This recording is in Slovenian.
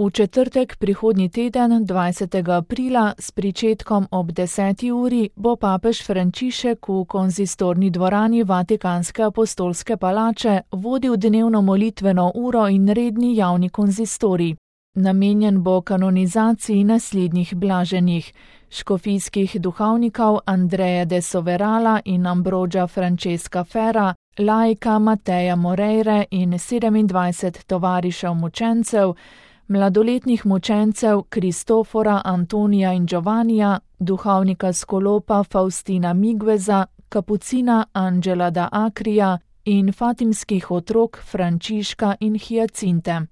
V četrtek prihodnji teden, 20. aprila, s pričetkom ob 10. uri, bo papež Frančišek v konzistorni dvorani Vatikanske apostolske palače vodil dnevno molitveno uro in redni javni konzistorij. Namenjen bo kanonizaciji naslednjih blaženih: škofijskih duhovnikov Andreja de Soverala in Ambrogia Francesca Ferra, laika Mateja Moreire in 27 tovarišev mučencev, mladoletnih mučencev Kristofora, Antonija in Giovannija, duhovnika Skolopa Faustina Migueza, kapucina Angela da Akrija in fatimskih otrok Frančiška in Hiacinte.